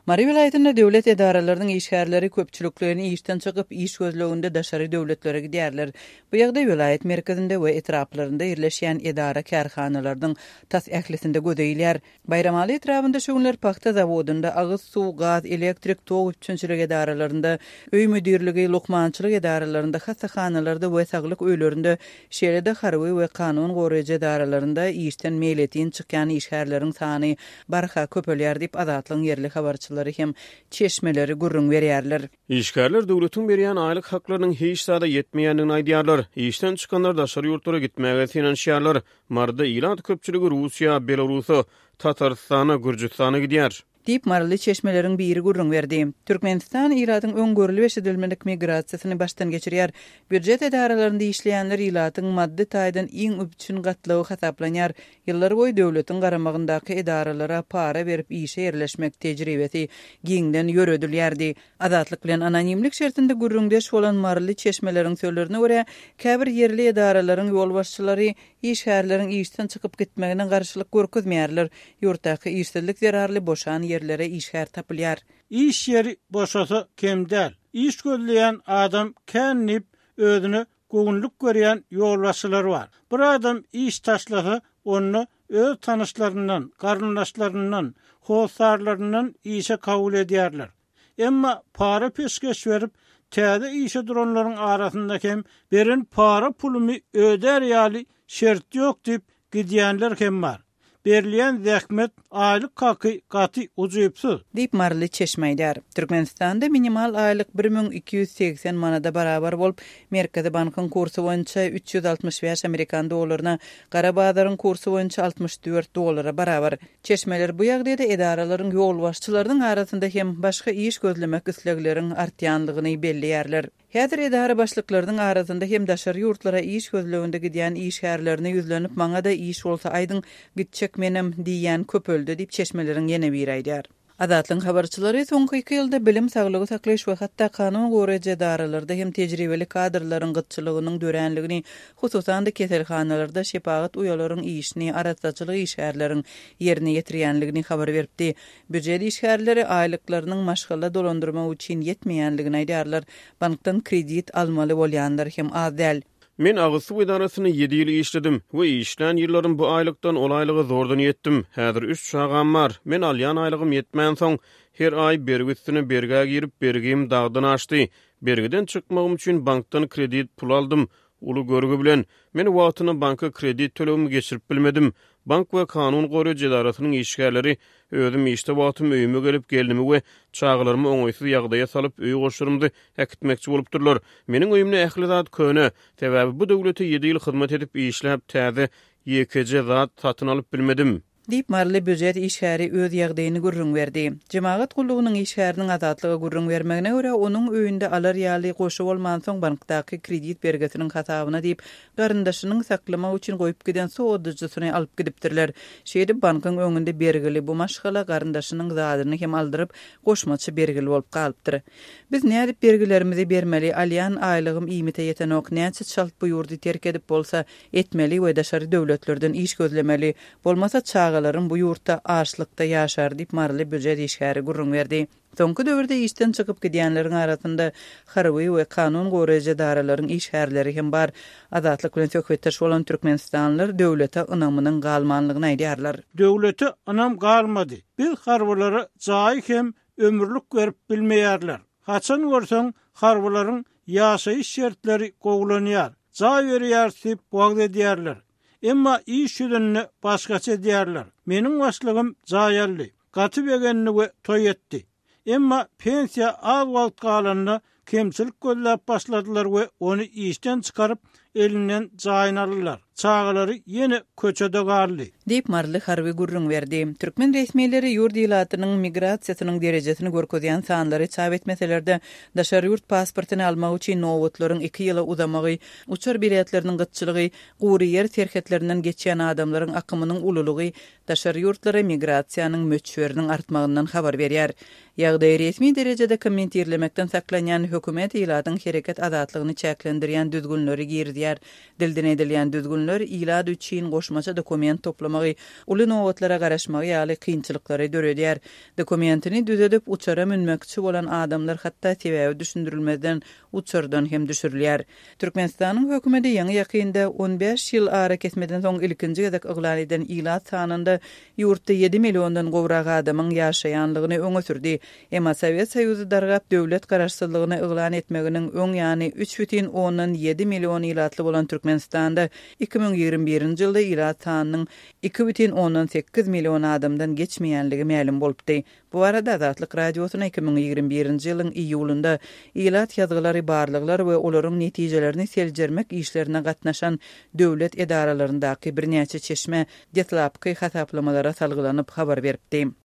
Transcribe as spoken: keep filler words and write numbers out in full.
Mary welaýatynda döwlet edaralarynyň işgärleri köpçülikleýin işden çykyp, iş gözleginde daşary döwletlere gidýärler. Bu ýagdaý welaýat merkezinde we etraplarynda ýerleşýän edara-kärhanalarynyň tas ählisinde göze ilýär. Baýramaly etrabynda şu günler pagta zawodynda, agyz suw, gaz, elektrik, tok üpjünçilik edaralarynda, öý müdirligi, lukmançylyk edaralarynda, hassahanalarda we saglyk öýlerinde, şeýle-de harby we kanun goraýjy edaralarynda işden meýletin çykýan işgärleriň sany barha köpelýär diýip, Azatlygyň ýerli habarçylary hem çeşmeleri gürrüň berýärler. Işgärler döwletiň berýän aýlyk haklarynyň hiç zada ýetmeýändigini aýdýarlar. Işden çykanlar daşary ýurtlara gitmäge synanyşýarlar. Maryda ilat köpçüligi Russiýa, Belarusa, Tatarystana, Gürjüstana gidýär. Diýip, maryly çeşmeleriň biri gürrüň berdi. Türkmenistan ilatyň öň görlüp-eşidilmedik migrasiýasyny başdan geçirýär. Býujet edaralarynda işleýänler ilatyň maddy taýdan iň üpjün gatlagy hasaplanýar. Ýyllar boýy döwletiň garamagyndaky edaralara para berip işe ýerleşmek tejribesi giňden ýöredilýärdi. Azatlyk bilen anonimlik şertinde gürrüňdeş bolan maryly çeşmeleriň sözlerine görä, käbir ýerli edaralaryň ýolbaşçylary işgärleriň işden çykyp gitmegine garşylyk görkezmeýärler. Ýurtdaky işsizlik zerarly boşan ýerlere işgär tapylýar. Iş ýeri boşasa kem däl. Iş gözleýän adam kän diýip özüne göwünlik görýän ýolbaşçylar bar. Bir adam iş taşlasa, onda öz tanyşlaryndan, garyndaşlaryndan, hossarlaryndan işe kabul edýärler. Emma para peşgeş berip, täze işe duranlaryň arasynda hem beren para pulumy ödär ýaly şert ýok diýip gidýänler hem bar. Berilýän zähmet aýlyk haky gaty ujypsyz. Diýip maryly çeşme aýdýar. Türkmenistanda minimal aýlyk bir müň iki ýüz segsen manada barabar bolup, Merkezi bankyň kursy boýunça üç ýüz altmyş bäş amerikan dollaryna, gara bazaryň kursy boýunça altmyş dört dollara barabar. Çeşmeler bu ýagdaýda edaralaryň ýolbaşçylarynyň arasynda hem başga iş gözlemek islegleriň artýanlygyny belleýärler. Häzir edara başlyklarynyň arasynda hem daşary ýurtlara iş gözleginde gidýän işgärlerine ýüzlenip, maňa-da iş bolsa aýdyň, gitjek menem diýýän köpeldi diýip çeşmeleriň ýene biri aýdýar. Azatlygyň habarçylary soňky iki ýylda bilim, saglygy saklaýyş we hatda kanun goraýjy edaralarda hem tejribeli kadrlaryň gytçylygynyň döränligini, hususan-da keselhanalarda şepagat uýalaryň işini, arassaçylyk işgärleriň ýerine ýetirýänligini habar beripdi. Býujet işgärleri aýlyklarynyň maşgala dolandyrmak üçin ýetmeýänligini aýdýarlar. Bankdan kredit almaly bolýanlar hem az däl. Men agyz suw edarasynda ýedi ýyl işledim we işlän ýyllarym bu aýlykdan ol aýlyga zordan ýetdim. Häzir üç çagam bar. Men alýan aýlygym ýetmänsoň, her aý bergi üstüne bergä girip, bergim dagdan aşdy. Bergiden çykmagym üçin bankdan kredit pul aldym. Uly görgi bilen men wagtynda banka kredit tölegimi geçirip bilmedim. Bank we kanun goraýjy edarasynyň işgärleri özüm işde wagtym öýüme gelip, gelnimi we çagalarymy oňaýsyz ýagdaýa salyp, öý goşlarymyzy äkitmekçi bolupdyrlar. Meniň öýümde ähli zat köne. Sebäbi bu döwlete ýedi ýyl hyzmat edip işläp, täze ýekeje zat satyn alyp bilmedim. Diýip, maryly býujet işgäri öz ýagdaýyny gürrüň berdi. Jemagat gullugynyň işgäriniň Azatlyga gürrüň bermegine görä, onuň öýünde alar ýaly goşy bolmansoň bankdaky kredit bergisiniň hasabyna diýip, garyndaşynyň saklamak üçin goýup giden sowadyjysyny alyp gidipdirler. Şeýdip, bankyň öňünde bergili bu maşgala garyndaşynyň zadyny hem aldyryp, goşmaça bergili bolup galypdyr. Biz nädip bergilerimizi bermeli, alýan aýlygym iýmite ýetenok, näçe çalt bu ýurdy terk edip bolsa etmeli we daşary döwletlerden iş gözlemeli, bolmasa çagalarym bu ýurtda açlykda ýaşar diýip maryly býujet işgäri gürrüň berdi. Soňky döwürde işden çykyp gidýänleriň arasynda harby we kanun goraýjy edaralaryň işgärleri hem bar. Azatlyk bilen söhbetdeş bolan türkmenistanlylar döwlete ynamynyň galmanlygyny aýdýarlar. Döwlete ynam galmady. Biz harbylara jaý hem ömürlik berip bilmeýärler. Haçan görseň harbylaryň ýaşaýyş şertleri gowulanýar. Jaý berýär diýip wagt edýärler. Emma iş ýüzünde başgaça edýärler. Meniň başlygym jaý aldy. Gaty begendi we toý etdi. Emma pensiýa az wagt galanda kemçilik gözläp başladylar we ony işden çykaryp elinden jaýyny aldylar. Çagalary ýene köçede galdy. Diýip maryly harby gürrüň berdi. Türkmen resmileri ýurt ilatynyň migrasiýasynyň derejesini görkezýän sanlary çap etmeselerde, daşary ýurt pasportyny almak üçin nobatlaryň iki ýyla uzamagy, uçar biletleriniň gytçylygy, gury ýer serhetlerinden geçýän adamlaryň akymynyň ululygy daşary ýurtlara migrasiýanyň möçberiniň artmagyndan habar berýär. Ýagdaýy resmi derejede kommentirlemekden saklanýan hökümet ilatyň hereket azatlygyny çäklendirýän düzgünleri girizýär. Dilden edilýän düzgünler Düzgünler ilat üçin goşmaça dokument toplamagy, uly nobatlara garaşmagy ýaly kynçylyklary döredýär. Dokumentini düzedip uçara münmekçi bolan adamlar hatda sebäbi düşündirilmezden uçardan hem düşürilýär. Türkmenistanyň hökümeti ýaňy ýakynda on bäş ýyl arakesmeden soň ilkinji gezek yglan eden ilat sanynda ýurtda ýedi milliondan gowrak adamyň ýaşaýanlygyny öňe sürdi. Emma Sowet Soýuzy dargap döwlet garaşsyzlygyny yglan etmeginiň öň ýany üç bütin ondan ýedi million ilatly bolan Türkmenistanda iki müň ýigrimi birinji ýylda ilat sanynyň iki bütin ondan sekiz million adamdan geçmeýänligi mälim bolupdy. Bu arada Azatlyk Radiosyna iki müň ýigrimi birinji ýylyň iýulynda ilat ýazgylary barlaglar we olaryň netijelerini seljermek işlerine gatnaşan döwlet edaralaryndaky birnäçe çeşme deslapky hasaplamalara salgylanyp habar beripdi.